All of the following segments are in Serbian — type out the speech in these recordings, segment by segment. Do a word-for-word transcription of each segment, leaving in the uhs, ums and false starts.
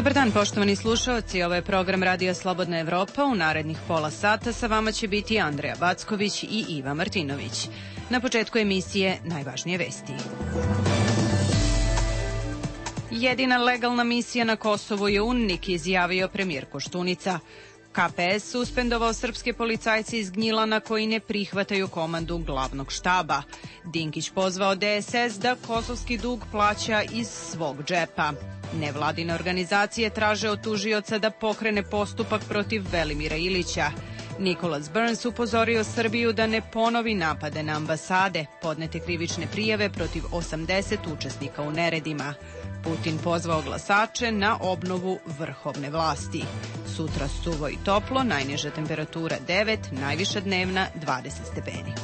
Dobar dan, poštovani slušaoci, ovo je program Radija Slobodna Evropa. U narednih pola sata sa vama će biti Andreja Backović i Iva Martinović. Na početku emisije najvažnije vesti. Jedina legalna misija na Kosovu je UNMIK, izjavio premijer Koštunica. K P S suspendovao srpske policajce iz Gnjilana koji ne prihvataju komandu glavnog štaba. Dinkić pozvao D S S da kosovski dug plaća iz svog džepa. Nevladine organizacije traže od tužioca da pokrene postupak protiv Velimira Ilića. Nicholas Burns upozorio Srbiju da ne ponovi napade na ambasade, podnete krivične prijave protiv osamdeset učesnika u neredima. Putin pozvao glasače na obnovu vrhovne vlasti. Sutra suvo i toplo, najniža temperatura devet, najviša dnevna dvadeset stepeni.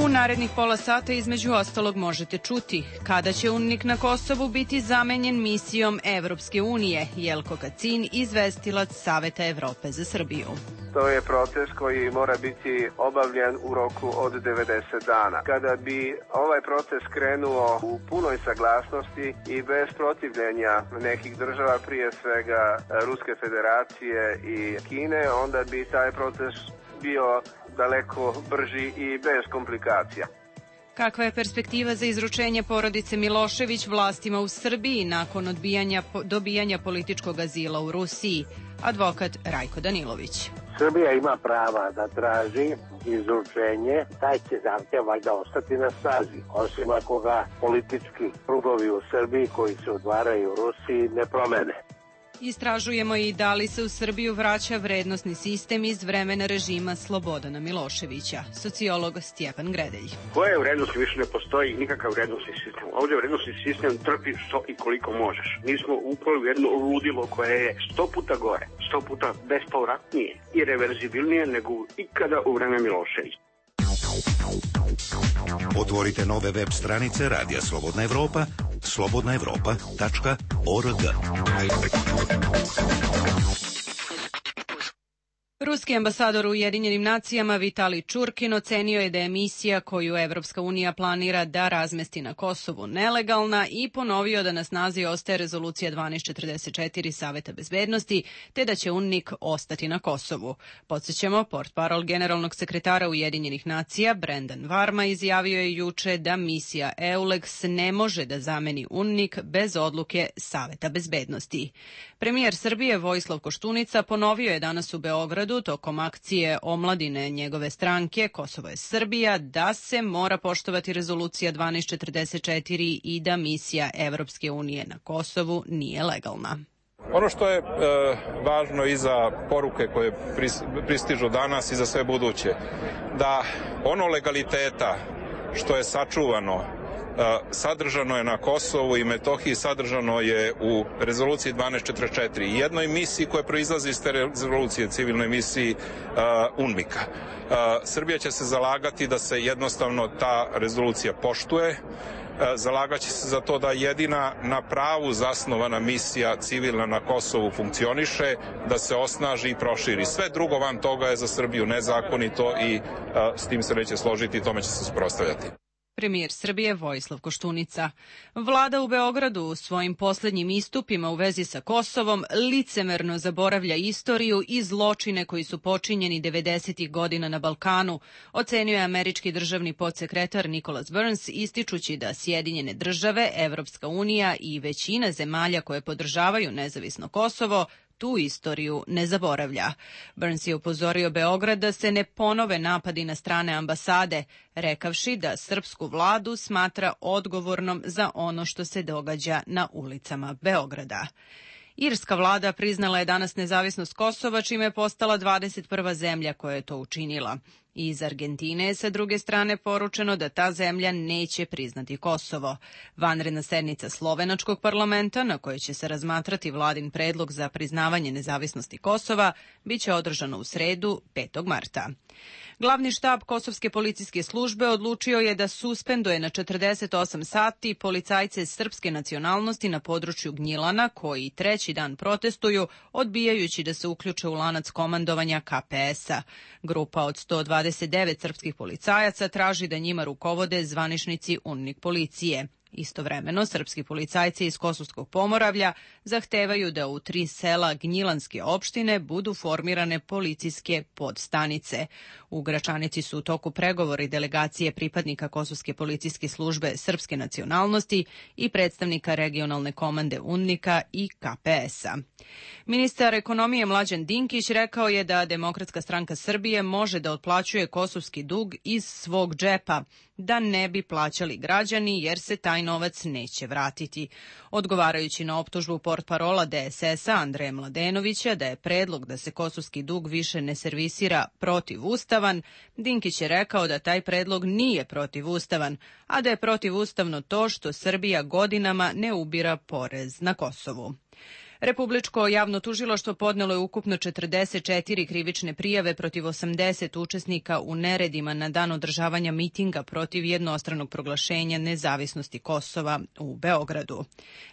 U narednih pola sata između ostalog možete čuti kada će UNMIK na Kosovu biti zamenjen misijom Evropske unije. Jelko Kacin, izvestilac Saveta Evrope za Srbiju. To je proces koji mora biti obavljen u roku od devedeset dana. Kada bi ovaj proces krenuo u punoj saglasnosti i bez protivljenja nekih država, prije svega Ruske federacije i Kine, onda bi taj proces bio daleko brži i bez komplikacija. Kakva je perspektiva za izručenje porodice Milošević vlastima u Srbiji nakon odbijanja, dobijanja političkog azila u Rusiji? Advokat Rajko Danilović. Srbija ima prava da traži izručenje, taj će zahtjev valjda ostati na snazi, osim ako ga politički krugovi u Srbiji koji se otvaraju u Rusiji ne promene. Istražujemo i da li se u Srbiju vraća vrednosni sistem iz vremena režima Slobodana Miloševića. Sociolog Stjepan Gredelj. Koje vrednosti više ne postoji nikakav vrednosni sistem. Ovdje vrednosni sistem trpi što i koliko možeš. Mi smo upali u jedno ludilo koje je sto puta gore, sto puta bespovratnije i reverzibilnije nego ikada u vreme Miloševića. Otvorite nove web stranice Radija Slobodna Evropa, slobodna evropa tačka org. Ruski ambasador u Ujedinjenim nacijama Vitalij Čurkin ocenio je da je misija koju Evropska unija planira da razmesti na Kosovu nelegalna i ponovio da na snazi ostaje rezolucija dvanaest četrdeset četiri Saveta bezbednosti, te da će UNMIK ostati na Kosovu. Podsjećamo, portparol generalnog sekretara Ujedinjenih nacija Brendan Varma izjavio je juče da misija EULEX ne može da zameni UNMIK bez odluke Saveta bezbednosti. Premijer Srbije Vojislav Koštunica ponovio je danas u Beogradu tokom akcije omladine njegove stranke Kosovo je Srbija da se mora poštovati rezolucija dvanaest četrdeset četiri i da misija Evropske unije na Kosovu nije legalna. Ono što je e, važno i za poruke koje pristižu danas i za sve buduće, da ono legaliteta što je sačuvano, sadržano je na Kosovu i Metohiji, sadržano je u rezoluciji dvanaest četrdeset četiri i jednoj misiji koja proizlazi iz te rezolucije, civilnoj misiji uh, UNMIK-a. Uh, Srbija će se zalagati da se jednostavno ta rezolucija poštuje, uh, zalagaće se za to da jedina na pravu zasnovana misija civilna na Kosovu funkcioniše, da se osnaži i proširi. Sve drugo van toga je za Srbiju nezakonito i uh, s tim se neće složiti i tome će se suprotstavljati. Premijer Srbije Vojislav Koštunica. Vlada u Beogradu u svojim poslednjim istupima u vezi sa Kosovom licemerno zaboravlja istoriju i zločine koji su počinjeni devedesetih godina na Balkanu, ocenio je američki državni podsekretar Nicholas Burns, ističući da Sjedinjene države, Evropska unija i većina zemalja koje podržavaju nezavisno Kosovo tu istoriju ne zaboravlja. Burns je upozorio Beograd da se ne ponove napadi na strane ambasade, rekavši da srpsku vladu smatra odgovornom za ono što se događa na ulicama Beograda. Irska vlada priznala je danas nezavisnost Kosova, čime je postala dvadeset prva zemlja koja je to učinila. Iz Argentine je sa druge strane poručeno da ta zemlja neće priznati Kosovo. Vanredna sednica slovenačkog parlamenta, na kojoj će se razmatrati vladin predlog za priznavanje nezavisnosti Kosova, biće održano u sredu petog marta. Glavni štab Kosovske policijske službe odlučio je da suspenduje na četrdeset osam sati policajce srpske nacionalnosti na području Gnjilana koji treći dan protestuju, odbijajući da se uključe u lanac komandovanja K P S-a. Grupa od sto dvadeset dvadeset devet srpskih policajaca traži da njima rukovode zvaničnici UNMIK policije. Istovremeno, srpski policajci iz Kosovskog Pomoravlja zahtevaju da u tri sela Gnjilanske opštine budu formirane policijske podstanice. U Gračanici su u toku pregovori delegacije pripadnika Kosovske policijske službe srpske nacionalnosti i predstavnika regionalne komande UNMIK-a i K P S-a. Ministar ekonomije Mlađan Dinkić rekao je da Demokratska stranka Srbije može da otplaćuje kosovski dug iz svog džepa, da ne bi plaćali građani jer se taj novac neće vratiti. Odgovarajući na optužbu portparola D S S-a Andreja Mladenovića da je predlog da se kosovski dug više ne servisira protivustavan, Dinkić je rekao da taj predlog nije protivustavan, a da je protivustavno to što Srbija godinama ne ubira porez na Kosovu. Republičko javno tužilaštvo podnelo je ukupno četrdeset četiri krivične prijave protiv osamdeset učesnika u neredima na dan održavanja mitinga protiv jednostranog proglašenja nezavisnosti Kosova u Beogradu.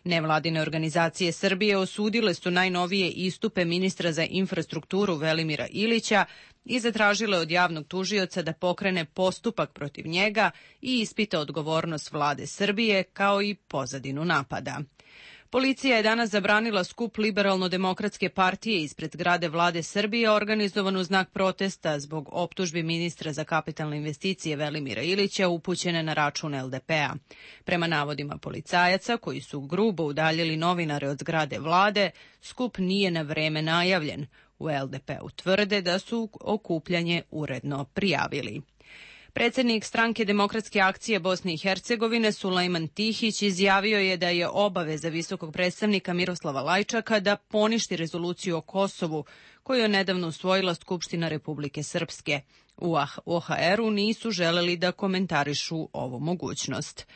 Nevladine organizacije Srbije osudile su najnovije istupe ministra za infrastrukturu Velimira Ilića i zatražile od javnog tužioca da pokrene postupak protiv njega i ispita odgovornost vlade Srbije kao i pozadinu napada. Policija je danas zabranila skup Liberalno-demokratske partije ispred zgrade vlade Srbije organizovan u znak protesta zbog optužbi ministra za kapitalne investicije Velimira Ilića upućene na račun L D P-a. Prema navodima policajaca koji su grubo udaljili novinare od zgrade vlade, skup nije na vreme najavljen. U L D P-u tvrde da su okupljanje uredno prijavili. Predsjednik stranke Demokratske akcije Bosne i Hercegovine Sulejman Tihić izjavio je da je obaveza visokog predstavnika Miroslava Lajčaka da poništi rezoluciju o Kosovu koju je nedavno usvojila Skupština Republike Srpske. U O H R-u nisu želeli da komentarišu ovu mogućnost.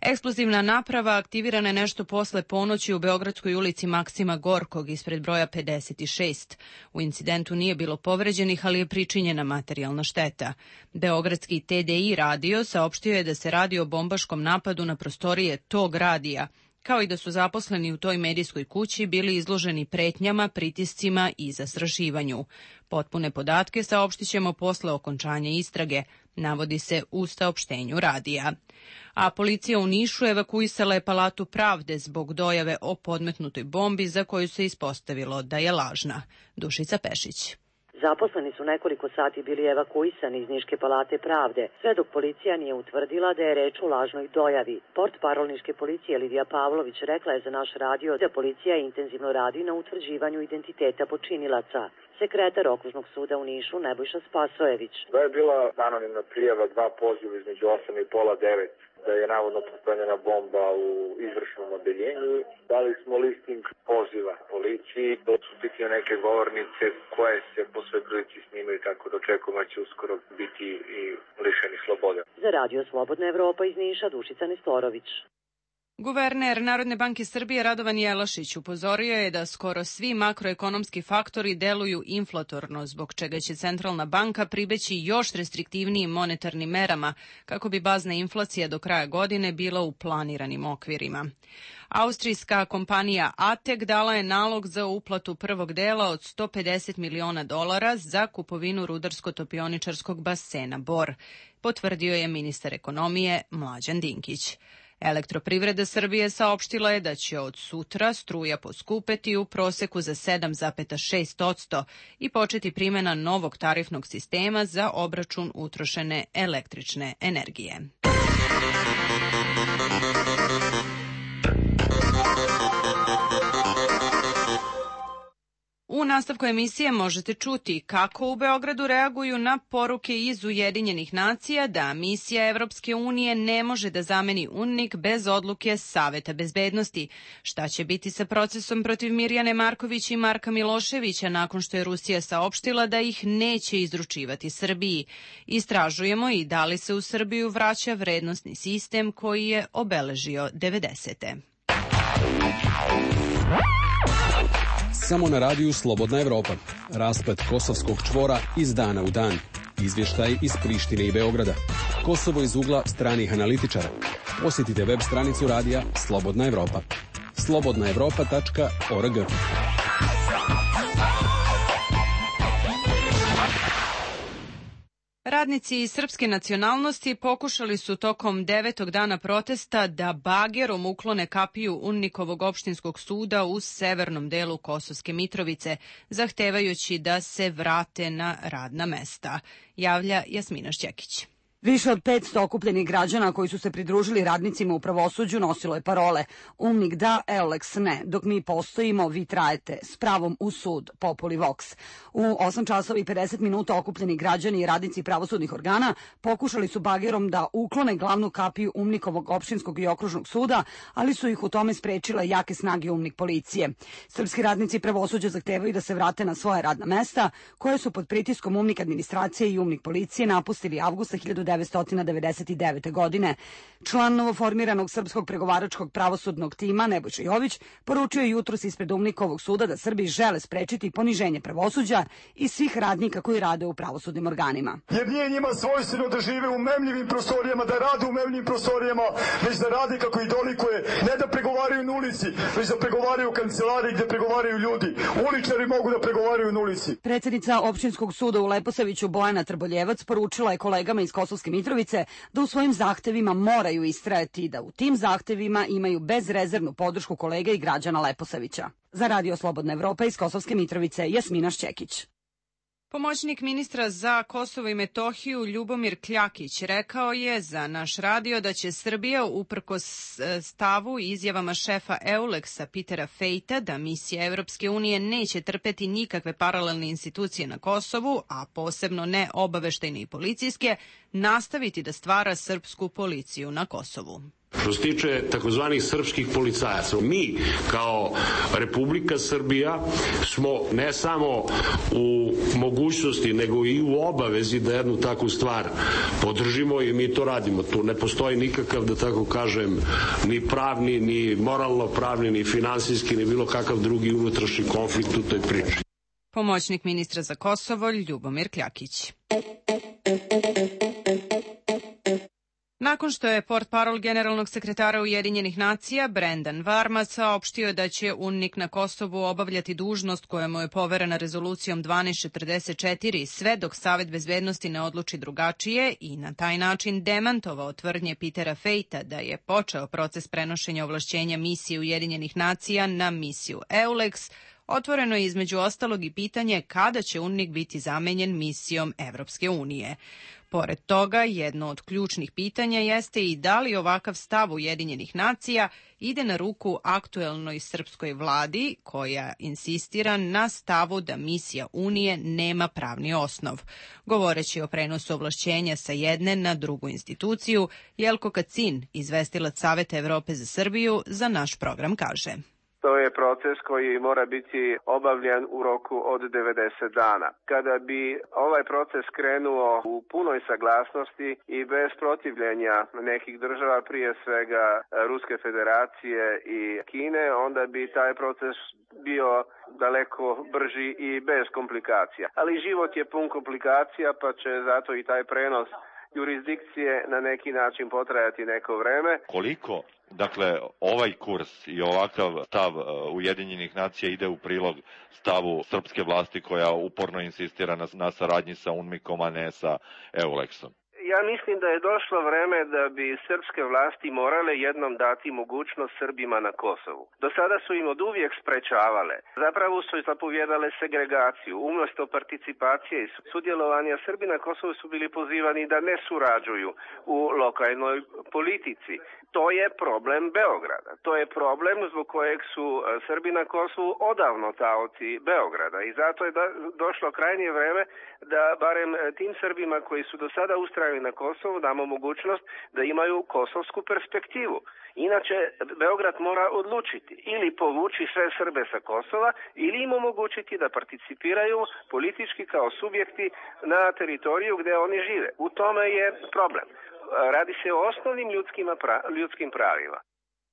Eksplozivna naprava aktivirana je nešto posle ponoći u Beogradskoj ulici Maksima Gorkog ispred broja pedeset šest. U incidentu nije bilo povređenih, ali je pričinjena materijalna šteta. Beogradski T D I radio saopštio je da se radi o bombaškom napadu na prostorije tog radija, kao i da su zaposleni u toj medijskoj kući bili izloženi pretnjama, pritiscima i zastrašivanju. Potpune podatke saopštit ćemo posle okončanja istrage, navodi se u saopštenju radija. A policija u Nišu evakuisala je Palatu pravde zbog dojave o podmetnutoj bombi za koju se ispostavilo da je lažna. Dušica Pešić. Zaposleni su nekoliko sati bili evakuisani iz Niške palate pravde, sve dok policija nije utvrdila da je reč o lažnoj dojavi. Portparol Niške policije Lidija Pavlović rekla je za naš radio da policija intenzivno radi na utvrđivanju identiteta počinilaca. Sekretar Okružnog suda u Nišu Nebojša Spasojević. Da je bila anonimna prijava, dva poziva između osam i pola devet, da je navodno postavljena bomba u izvršnom odeljenju. Dali smo listing poziva policiji, odsutiti neke govornice koje se po svoj prilici snimaju, tako da očekujemo da će uskoro biti i lišeni slobode. Za radio Slobodna Evropa iz Niša Dušica Nestorović. Guverner Narodne banke Srbije Radovan Jelašić upozorio je da skoro svi makroekonomski faktori deluju inflatorno, zbog čega će centralna banka pribeći još restriktivnijim monetarnim merama kako bi bazna inflacija do kraja godine bila u planiranim okvirima. Austrijska kompanija A T E K dala je nalog za uplatu prvog dela od sto pedeset miliona dolara za kupovinu rudarsko-topioničarskog basena Bor, potvrdio je ministar ekonomije Mlađan Dinkić. Elektroprivreda Srbije saopštila je da će od sutra struja poskupeti u proseku za sedam zarez šest posto i početi primjena novog tarifnog sistema za obračun utrošene električne energije. U nastavku emisije možete čuti kako u Beogradu reaguju na poruke iz Ujedinjenih nacija da misija Evropske unije ne može da zameni UNMIK bez odluke Saveta bezbednosti. Šta će biti sa procesom protiv Mirjane Marković i Marka Miloševića nakon što je Rusija saopštila da ih neće izručivati Srbiji? Istražujemo i da li se u Srbiju vraća vrednosni sistem koji je obeležio devedesete. Samo na radiju Slobodna Evropa. Raspad kosovskog čvora iz dana u dan. Izvještaj iz Prištine i Beograda. Kosovo iz ugla stranih analitičara. Posjetite web stranicu radija Slobodna Evropa. slobodna evropa tačka org. Radnici srpske nacionalnosti pokušali su tokom devetog dana protesta da bagerom uklone kapiju UNMIK-ovog opštinskog suda u severnom delu Kosovske Mitrovice, zahtevajući da se vrate na radna mesta, javlja Jasmina Šćekić. Više od petsto okupljenih građana koji su se pridružili radnicima u pravosuđu nosilo je parole UNMIK da, EULEX ne, dok mi postojimo, vi trajete, s pravom u sud, populi vox. U osam časova i pedeset minuta okupljeni građani i radnici pravosudnih organa pokušali su bagerom da uklone glavnu kapiju UNMIK-ovog opštinskog i okružnog suda, ali su ih u tome sprečile jake snage UNMIK policije. Srpski radnici pravosuđa zahtevaju da se vrate na svoje radna mesta, koje su pod pritiskom UNMIK administracije i UNMIK policije napustili avgusta hiljadu devetsto devedeset devete. godine. Član novoformiranog srpskog pregovaračkog pravosudnog tima Nebojša Jović poručio je jutros ispred UNMIK-ovog suda da Srbi žele sprečiti poniženje pravosuđa i svih radnika koji rade u pravosudnim organima. Jer nije njima svojstveno da žive u memljivim prostorijama, da rade u memljivim prostorijama, već da rade kako i dolikuje, ne da pregovaraju na ulici, već da pregovaraju u kancelariji gde pregovaraju ljudi. Uličari mogu da pregovaraju na ulici. Predsjednica opštinskog suda u Leposaviću Bojana Trboljevac poručila je kolegama iz Kosovske Mitrovice da u svojim zahtevima moraju istrajati i da u tim zahtevima imaju bezrezervnu podršku kolega i građana Leposavića. Za Radio Slobodna Evropa iz Kosovske Mitrovice, Jasmina Šćekić. Pomoćnik ministra za Kosovo i Metohiju Ljubomir Kljakić rekao je za naš radio da će Srbija uprkos stavu i izjavama šefa EULEX-a Petera Fejta da misija Evropske unije neće trpeti nikakve paralelne institucije na Kosovu, a posebno ne obaveštajne i policijske, nastaviti da stvara srpsku policiju na Kosovu. Što se tiče takozvanih srpskih policajaca, mi kao Republika Srbija smo ne samo u mogućnosti, nego i u obavezi da jednu takvu stvar podržimo i mi to radimo. Tu ne postoji nikakav, da tako kažem, ni pravni, ni moralno pravni, ni finansijski, ni bilo kakav drugi unutrašnji konflikt u toj priči. Pomoćnik ministra za Kosovo Ljubomir Kljakić. Nakon što je portparol generalnog sekretara Ujedinjenih nacija Brendan Varma saopštio da će UNMIK na Kosovu obavljati dužnost koja mu je poverena rezolucijom dvanaest četrdeset četiri sve dok Savet bezbednosti ne odluči drugačije i na taj način demantovao tvrdnje Petera Fejta da je počeo proces prenošenja ovlašćenja misije Ujedinjenih nacija na misiju EULEX, otvoreno je između ostalog i pitanje kada će UNMIK biti zamenjen misijom Evropske unije. Pored toga, jedno od ključnih pitanja jeste i da li ovakav stav Ujedinjenih nacija ide na ruku aktuelnoj srpskoj vladi koja insistira na stavu da misija Unije nema pravni osnov. Govoreći o prenosu ovlašćenja sa jedne na drugu instituciju, Jelko Kacin, izvestilac Saveta Evrope za Srbiju, za naš program kaže: To je proces koji mora biti obavljen u roku od devedeset dana. Kada bi ovaj proces krenuo u punoj saglasnosti i bez protivljenja nekih država, prije svega Ruske federacije i Kine, onda bi taj proces bio daleko brži i bez komplikacija. Ali život je pun komplikacija, pa će zato i taj prenos jurisdikcije na neki način potrajati neko vreme. Koliko, dakle, ovaj kurs i ovakav stav Ujedinjenih nacija ide u prilog stavu srpske vlasti koja uporno insistira na, na saradnji sa UNMIK-om, a ne sa EULEX-om? Ja mislim da je došlo vreme da bi srpske vlasti morale jednom dati mogućnost Srbima na Kosovu. Do sada su im od uvijek sprečavale. Zapravo su zapovjedale segregaciju. Umjesto participacije i sudjelovanja, Srbi na Kosovu su bili pozivani da ne surađuju u lokalnoj politici. To je problem Beograda. To je problem zbog kojeg su Srbi na Kosovu odavno taoci Beograda. I zato je došlo krajnje vreme da barem tim Srbima koji su do sada ustrajali na Kosovu damo mogućnost da imaju kosovsku perspektivu. Inače, Beograd mora odlučiti ili povući sve Srbe sa Kosova ili im omogućiti da participiraju politički kao subjekti na teritoriju gdje oni žive. U tome je problem. Radi se o osnovnim ljudskim, ljudskim pravima.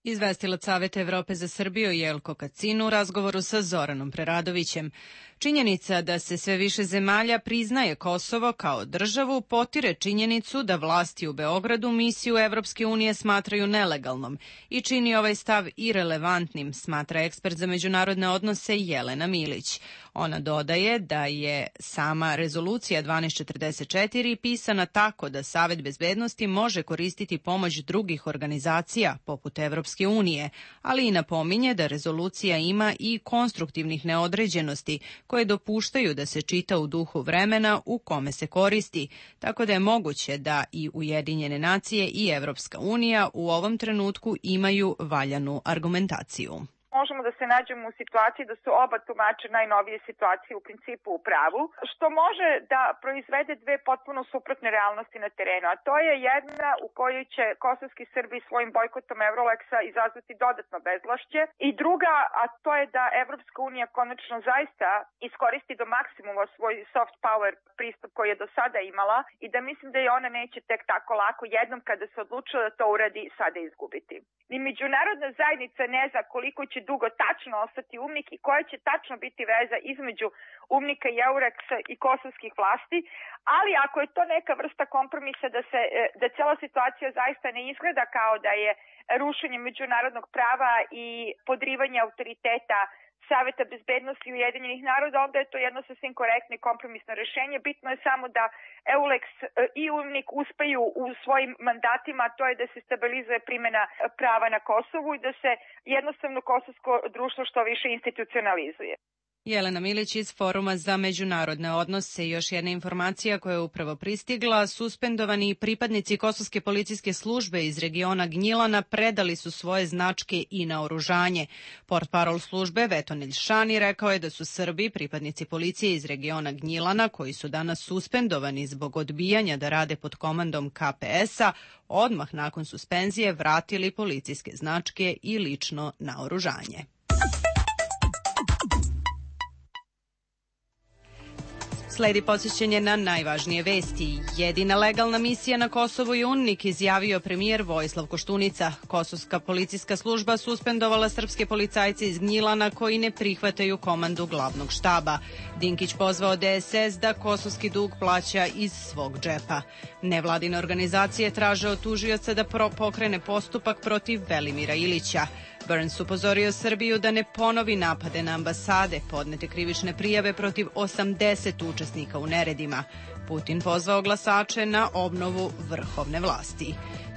Izvestilac Saveta Evrope za Srbiju Jelko Kacin u razgovoru sa Zoranom Preradovićem. Činjenica da se sve više zemalja priznaje Kosovo kao državu potire činjenicu da vlasti u Beogradu misiju Evropske unije smatraju nelegalnom i čini ovaj stav irelevantnim, smatra ekspert za međunarodne odnose Jelena Milić. Ona dodaje da je sama rezolucija dvanaest četrdeset četiri pisana tako da Savet bezbednosti može koristiti pomoć drugih organizacija poput Evropske unije, ali i napominje da rezolucija ima i konstruktivnih neodređenosti koje dopuštaju da se čita u duhu vremena u kome se koristi, tako da je moguće da i Ujedinjene nacije i Evropska unija u ovom trenutku imaju valjanu argumentaciju. Možemo da se nađemo u situaciji da su oba tumača najnovije situacije u principu u pravu, što može da proizvede dve potpuno suprotne realnosti na terenu, a to je jedna u kojoj će kosovski Srbi svojim bojkotom Euroleksa izazvati dodatno bezvlašće i druga, a to je da Evropska unija konačno zaista iskoristi do maksimuma svoj soft power pristup koji je do sada imala i da mislim da je ona neće tek tako lako jednom kada se odlučila da to uradi sada izgubiti. Ni međunarodna zajednica ne zna koliko će dugo tačno ostati UMNIK i koja će tačno biti veza između UMNIK-a i Euroleksa i kosovskih vlasti, ali ako je to neka vrsta kompromisa da se da cela situacija zaista ne izgleda kao da je rušenje međunarodnog prava i podrivanje autoriteta Saveta bezbednosti Ujedinjenih naroda, onda je to jedno sasvim korektno i kompromisno rešenje. Bitno je samo da Euleks i UMNIK uspeju u svojim mandatima, to je da se stabilizuje primjena prava na Kosovu i da se jednostavno kosovsko društvo što više institucionalizuje. Jelena Milić iz Foruma za međunarodne odnose. Još jedna informacija koja je upravo pristigla. Suspendovani pripadnici Kosovske policijske službe iz regiona Gnjilana predali su svoje značke i naoružanje. Portparol službe Vetonilj Šani rekao je da su Srbi, pripadnici policije iz regiona Gnjilana, koji su danas suspendovani zbog odbijanja da rade pod komandom K P S-a, odmah nakon suspenzije vratili policijske značke i lično naoružanje. Sledi podsjećanje na najvažnije vesti. Jedina legalna misija na Kosovu je UNMIK, izjavio premijer Vojislav Koštunica. Kosovska policijska služba suspendovala srpske policajce iz Gnjilana koji ne prihvataju komandu glavnog štaba. Dinkić pozvao D S S da kosovski dug plaća iz svog džepa. Nevladine organizacije traže od tužioca da pokrene postupak protiv Velimira Ilića. Burns upozorio Srbiju da ne ponovi napade na ambasade, podnete krivične prijave protiv osamdeset učesnika u neredima. Putin pozvao glasače na obnovu vrhovne vlasti.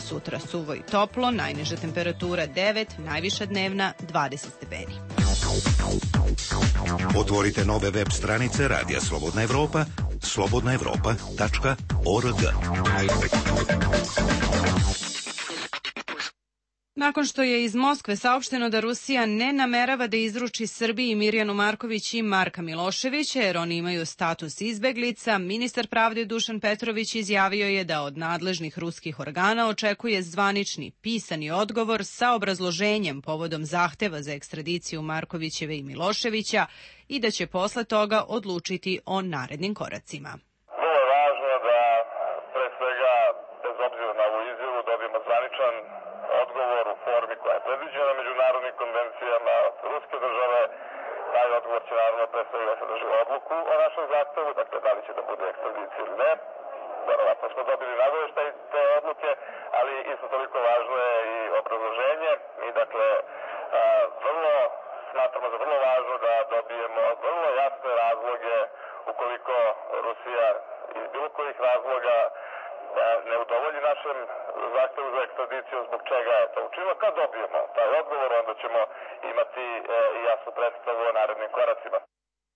Sutra suvo i toplo, najniža temperatura devet, najviša dnevna dvadeset stepeni. Otvorite nove web stranice Radija Slobodna Evropa, slobodna evropa tačka org. Nakon što je iz Moskve saopšteno da Rusija ne namerava da izruči Srbiji Mirjanu Marković i Marka Miloševića jer oni imaju status izbeglica, ministar pravde Dušan Petrović izjavio je da od nadležnih ruskih organa očekuje zvanični pisani odgovor sa obrazloženjem povodom zahteva za ekstradiciju Markovićeve i Miloševića i da će posle toga odlučiti o narednim koracima. Vrlo je važno da pre svega, bez obzira na ovu izjavu, dobijemo zvaničan odgovor u formi koja je predviđena međunarodnim konvencijama ruske države. Taj odgovor će naravno pre svega sadrži odluku o našem zahtevu, dakle da li će da bude ekstradicija ili ne. Verovatno smo dobili nagoveštaj te odluke, ali isto toliko važno je i obrazloženje. Mi dakle vrlo smatramo za vrlo važno da dobijemo vrlo jasne razloge ukoliko Rusija iz bilo kojih razloga ne udovolji našem zahtevu za ekstradiciju, zbog čega je to učinilo. Kad dobijemo taj odgovor, onda ćemo imati i jasnu predstavu o narednim koracima.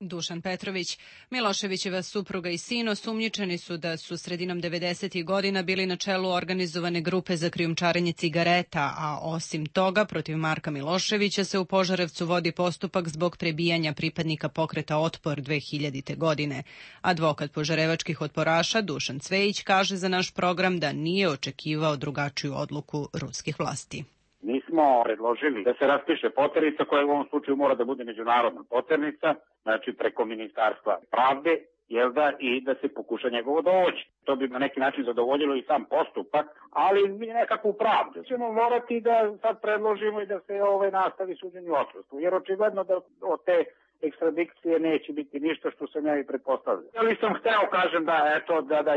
Dušan Petrović. Miloševićeva supruga i sin osumnjičeni su da su sredinom devedesetih godina bili na čelu organizovane grupe za krijumčarenje cigareta, a osim toga protiv Marka Miloševića se u Požarevcu vodi postupak zbog prebijanja pripadnika pokreta Otpor dve hiljadite. godine. Advokat požarevačkih otporaša Dušan Cvejić kaže za naš program da nije očekivao drugačiju odluku ruskih vlasti. Mi smo predložili da se raspiše poternica koja u ovom slučaju mora da bude međunarodna poternica, znači preko Ministarstva pravde, jel da, i da se pokuša njegovo dovođenje. To bi na neki način zadovoljilo i sam postupak, ali mi nekakvu pravdu. Ćemo morati da sad predložimo i da se ovaj nastavi suđenje u odsustvu, jer očigledno da od te ekstradikcije neće biti ništa što sam ja i pretpostavljao. Ali sam hteo, kažem, da, eto, da, da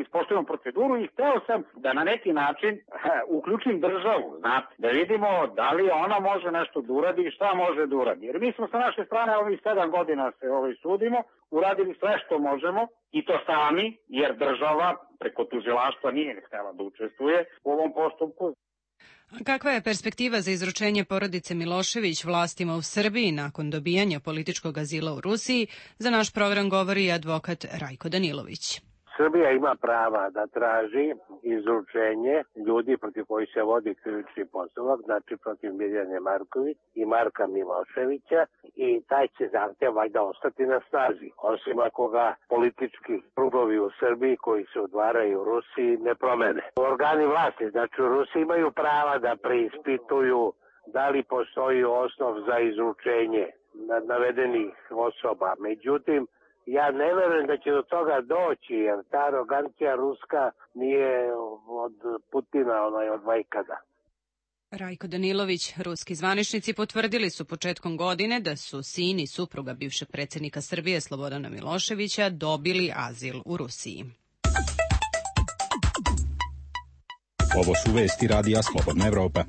ispoštujemo proceduru i hteo sam da na neki način he, uključim državu, znate, da vidimo da li ona može nešto da uradi i šta može da uradi. Jer mi smo sa naše strane ovih sedam godina se ovaj sudimo, uradili sve što možemo i to sami, jer država preko tužilaštva nije htela da učestvuje u ovom postupku. Kakva je perspektiva za izručenje porodice Milošević vlastima u Srbiji nakon dobijanja političkog azila u Rusiji? Za naš program govori advokat Rajko Danilović. Srbija ima prava da traži izručenje ljudi protiv kojih se vodi krivični postupak, znači protiv Mirjane Marković i Marka Miloševića, i taj će zahtev valjda ostati na snazi, osim ako ga politički krugovi u Srbiji koji se odvaraju u Rusiji ne promene. Organi vlasti, znači u Rusiji imaju prava da preispituju da li postoji osnov za izručenje navedenih osoba. Međutim, ja ne verujem da će do toga doći, jer ta arogancija ruska nije od Putina, ona je od vajkada. Rajko Danilović, ruski zvaničnici potvrdili su početkom godine da su sin i supruga bivšeg predsjednika Srbije Slobodana Miloševića dobili azil u Rusiji. Ovo su vesti Radija Slobodna Evropa.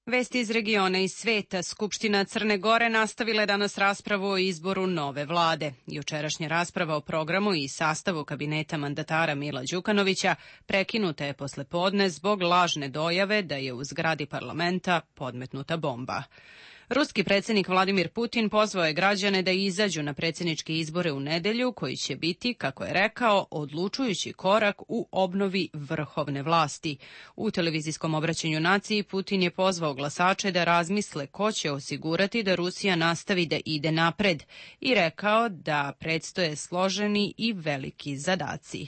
Vesti iz regiona i sveta. Skupština Crne Gore nastavila je danas raspravu o izboru nove vlade. Jučerašnja rasprava o programu i sastavu kabineta mandatara Mila Đukanovića prekinuta je posle podne zbog lažne dojave da je u zgradi parlamenta podmetnuta bomba. Ruski predsjednik Vladimir Putin pozvao je građane da izađu na predsjedničke izbore u nedelju, koji će biti, kako je rekao, odlučujući korak u obnovi vrhovne vlasti. U televizijskom obraćanju naciji Putin je pozvao glasače da razmisle ko će osigurati da Rusija nastavi da ide napred i rekao da predstoje složeni i veliki zadaci.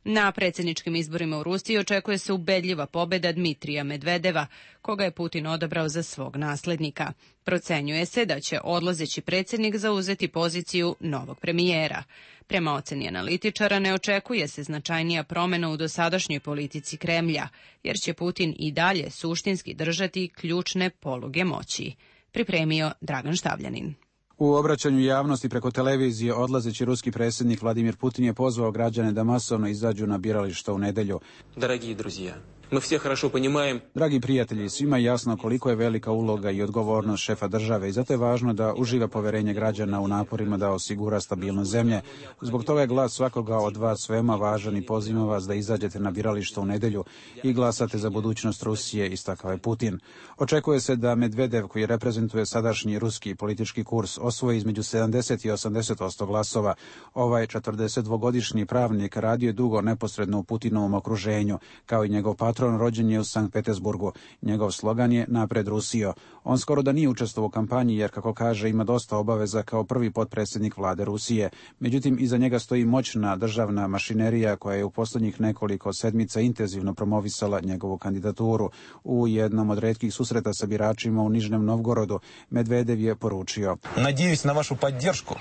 Na predsjedničkim izborima u Rusiji očekuje se ubedljiva pobjeda Dmitrija Medvedeva, koga je Putin odabrao za svog naslednika. Procenjuje se da će odlazeći predsjednik zauzeti poziciju novog premijera. Prema oceni analitičara ne očekuje se značajnija promjena u dosadašnjoj politici Kremlja, jer će Putin i dalje suštinski držati ključne poluge moći. Pripremio Dragan Štavljanin. U obraćanju javnosti preko televizije odlazeći ruski predsjednik Vladimir Putin je pozvao građane da masovno izađu na birališta u nedelju. Dragi друзья, мы все хорошо понимаем. Dragi prijatelji, svima je jasno koliko je velika uloga i odgovornost šefa države i zato je važno da uživa poverenje građana u naporima da osigura stabilnost zemlje. Zbog toga je glas svakoga od vas veoma važan i pozivam vas da izađete na birališta u nedelju i glasate za budućnost Rusije, istakao je Putin. Očekuje se da Medvedev, koji reprezentuje sadašnji ruski politički kurs, osvoji između sedamdeset i osamdeset posto glasova. Ovaj četrdesetdvogodišnji pravnik radio je dugo neposredno u Putinovom okruženju, kao i njegov patron. Rođen je u Sankt Petersburgu. Njegov slogan je Napred Rusijo. On skoro da nije učestvovao u kampanji jer, kako kaže, ima dosta obaveza kao prvi potpredsjednik vlade Rusije. Međutim, iza njega stoji moćna državna mašinerija koja je u posljednjih nekoliko sedmica intenzivno promovisala njegovu kandidaturu. U jednom od retkih susreta sa biračima u Nižnem Novgorodu Medvedev je poručio: Nadjejuсь na vašu podršku.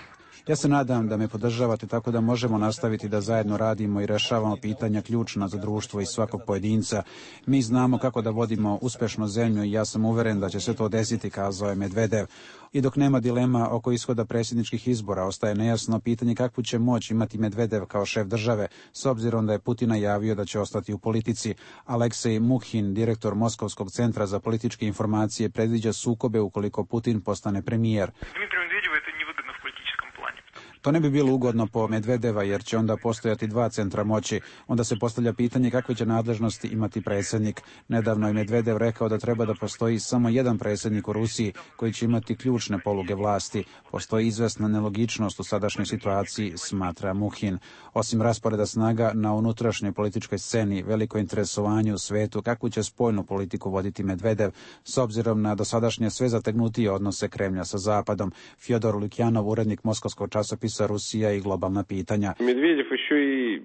Ja se nadam da me podržavate tako da možemo nastaviti da zajedno radimo i rešavamo pitanja ključna za društvo i svakog pojedinca. Mi znamo kako da vodimo uspešnu zemlju i ja sam uveren da će se to desiti, kazao je Medvedev. I dok nema dilema oko ishoda predsjedničkih izbora, ostaje nejasno pitanje kakvu će moć imati Medvedev kao šef države, s obzirom da je Putin najavio da će ostati u politici. Aleksej Mukhin, direktor Moskovskog centra za političke informacije, predviđa sukobe ukoliko Putin postane premijer. To ne bi bilo ugodno po Medvedeva jer će onda postojati dva centra moći. Onda se postavlja pitanje kakve će nadležnosti imati predsjednik. Nedavno je Medvedev rekao da treba da postoji samo jedan predsjednik u Rusiji koji će imati ključne poluge vlasti. Postoji izvesna nelogičnost u sadašnjoj situaciji, smatra Mukhin. Osim rasporeda snaga na unutrašnjoj političkoj sceni, veliko interesovanje u svetu kakvu će spoljnu politiku voditi Medvedev s obzirom na dosadašnje sve zategnutije odnose Kremlja sa Zapadom. Fjodor Lukjanov, urednik Moskovskog časopisa Rusija i globalna pitanja. Medvedev еще i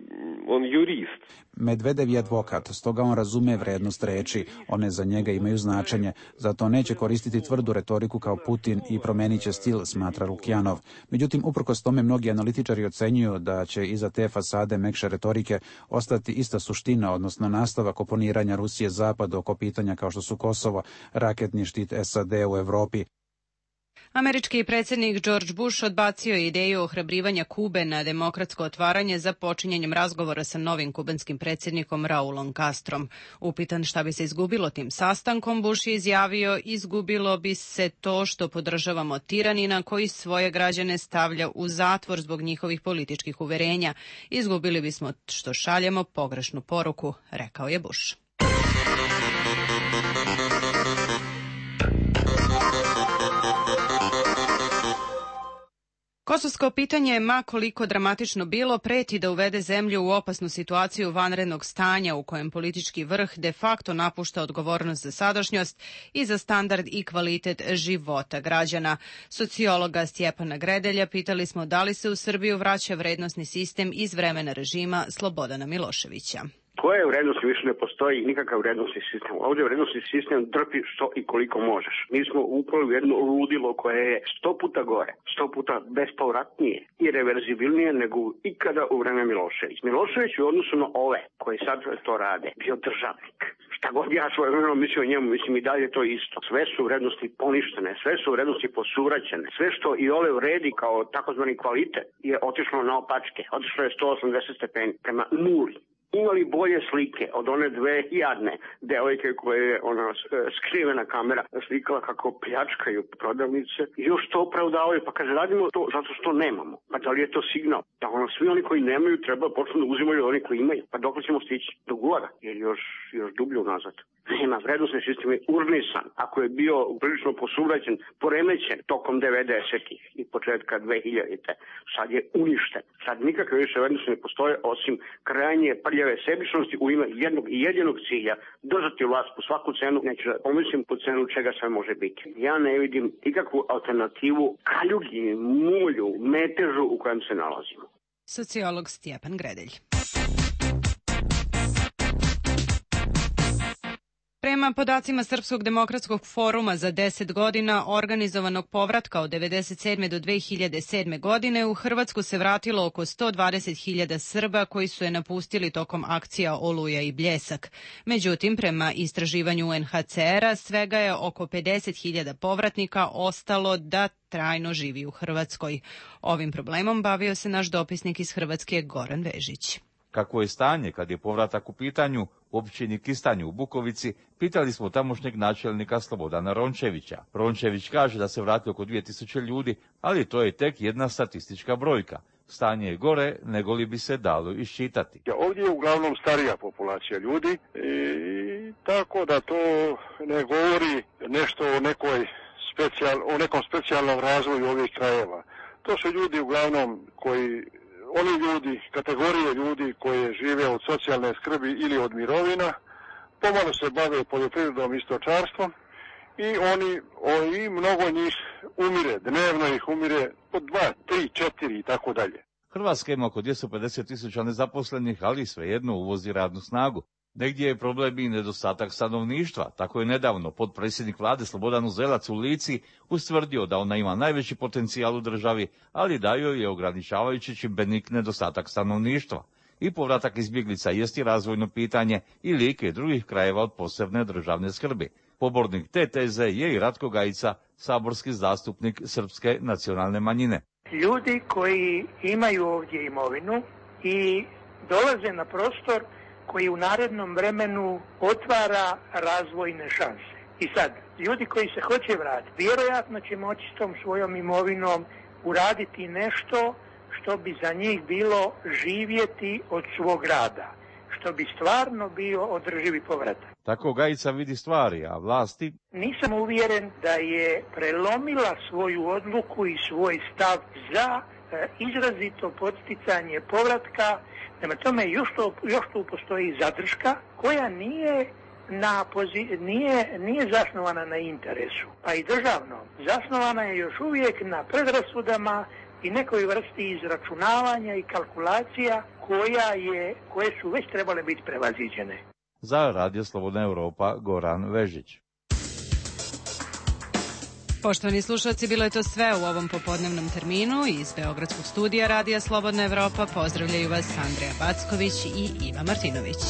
on jurist. Medvedev je advokat, stoga on razume vrednost reči. One za njega imaju značenje, zato neće koristiti tvrdu retoriku kao Putin i promenit će stil, smatra Lukjanov. Međutim, uprkos tome mnogi analitičari ocenjuju da će iza te fasade mekše retorike ostati ista suština, odnosno nastavak oponiranja Rusije Zapadu oko pitanja kao što su Kosovo, raketni štit S A D u Evropi. Američki predsjednik George Bush odbacio je ideju ohrabrivanja Kube na demokratsko otvaranje za počinjenjem razgovora sa novim kubanskim predsjednikom Raulom Castrom. Upitan šta bi se izgubilo tim sastankom, Bush je izjavio: izgubilo bi se to što podržavamo tiranina koji svoje građane stavlja u zatvor zbog njihovih političkih uverenja. Izgubili bismo što šaljemo pogrešnu poruku, rekao je Bush. Kosovsko pitanje, ma koliko dramatično bilo, preti da uvede zemlju u opasnu situaciju vanrednog stanja u kojem politički vrh de facto napušta odgovornost za sadašnjost i za standard i kvalitet života građana. Sociologa Stjepana Gredelja pitali smo da li se u Srbiju vraća vrednosni sistem iz vremena režima Slobodana Miloševića. Koje vrednosti više ne postoji nikakav vrednosni sistem. Ovdje vrednosni sistem drpi što i koliko možeš. Mi smo upali u jedno ludilo koje je sto puta gore, sto puta bespovratnije i reverzibilnije nego ikada u vreme Milošević. Milošević u odnosu na ove koji sad to rade bio državnik. Šta god ja svoje vremeno mislio o njemu, mislim i dalje to isto. Sve su vrednosti poništene, sve su vrednosti posuvraćene. Sve što i ove vredi kao takozvani kvalitet je otišlo na opačke. Otišlo je sto osamdeset stepeni prema nuli. Imali bolje slike od one dve jadne devojke koje je ona skrivena kamera slikala kako pljačkaju prodavnice i još to opravdavaju. Pa kaže, radimo to zato što nemamo. Pa da li je to signal? Da ono, svi oni koji nemaju treba počnu da uzimaju oni koji imaju. Pa dok ćemo stići? Do gulaga? Jer još, još dublje unazad. Nema, vrednosni sistem je urnisan. Ako je bio prilično posuvraćen, poremećen tokom devedesetih i početka dve hiljadite. Sad je uništen. Sad nikakve više vrednosti ne postoje osim krajnje prljave sebičnosti u ime jednog i jedinog cilja. Držati vlast po svaku cenu, neću da pomislim po cenu čega sve može biti. Ja ne vidim nikakvu alternativu kaljugi, mulju, metežu u kojem se nalazimo. Sociolog Stjepan Gredelj. Prema podacima Srpskog demokratskog foruma za deset godina organizovanog povratka od devedeset sedme do dve hiljade sedme godine u Hrvatsku se vratilo oko sto dvadeset hiljada Srba koji su je napustili tokom akcija Oluja i Bljesak. Međutim, prema istraživanju U N H C R-a svega je oko pedeset hiljada povratnika ostalo da trajno živi u Hrvatskoj. Ovim problemom bavio se naš dopisnik iz Hrvatske Goran Vežić. Kako je stanje kad je povratak u pitanju, u općini Kistanj u Bukovici, pitali smo tamošnjeg načelnika Slobodana Rončevića. Rončević kaže da se vrati oko dvije tisuće ljudi, ali to je tek jedna statistička brojka. Stanje je gore nego li bi se dalo iščitati. Ovdje je uglavnom starija populacija ljudi i tako da to ne govori nešto o, nekoj specijal, o nekom specijalnom razvoju ovih krajeva. To su ljudi uglavnom koji... Oni ljudi, kategorije ljudi koje žive od socijalne skrbi ili od mirovina, pomalo se bave poljoprivredom i stočarstvom i oni, i mnogo njih umire, dnevno ih umire po dva, tri, četiri i tako dalje. Hrvatska ima oko dvjesto pedeset tisuća nezaposlenih, ali svejedno uvozi radnu snagu. Negdje je problem i nedostatak stanovništva. Tako je nedavno potpredsjednik vlade Slobodan Uzelac u Lici ustvrdio da ona ima najveći potencijal u državi, ali da joj je ograničavajući čimbenik nedostatak stanovništva. I povratak izbjeglica jest i razvojno pitanje i Like i drugih krajeva od posebne državne skrbi. Pobornik te teze je i Ratko Gajica, saborski zastupnik srpske nacionalne manjine. Ljudi koji imaju ovdje imovinu i dolaze na prostor koji u narednom vremenu otvara razvojne šanse. I sad, ljudi koji se hoće vratiti, vjerojatno će moći s tom svojom imovinom uraditi nešto što bi za njih bilo živjeti od svog rada, što bi stvarno bio održivi povratak. Tako Gajica vidi stvari, a vlasti? Nisam uvjeren da je prelomila svoju odluku i svoj stav za e, izrazito podsticanje povratka. Prema tome, još tu, još tu postoji zadrška koja nije, na pozi, nije, nije zasnovana na interesu, pa i državno. Zasnovana je još uvijek na predrasudama i nekoj vrsti izračunavanja i kalkulacija koja je, koje su već trebale biti prevaziđene. Za Radio Slobodna Europa, Goran Vežić. Poštovani slušalci, bilo je to sve u ovom popodnevnom terminu. Iz Beogradskog studija Radija Slobodna Evropa pozdravljaju vas Andreja Backović i Iva Martinović.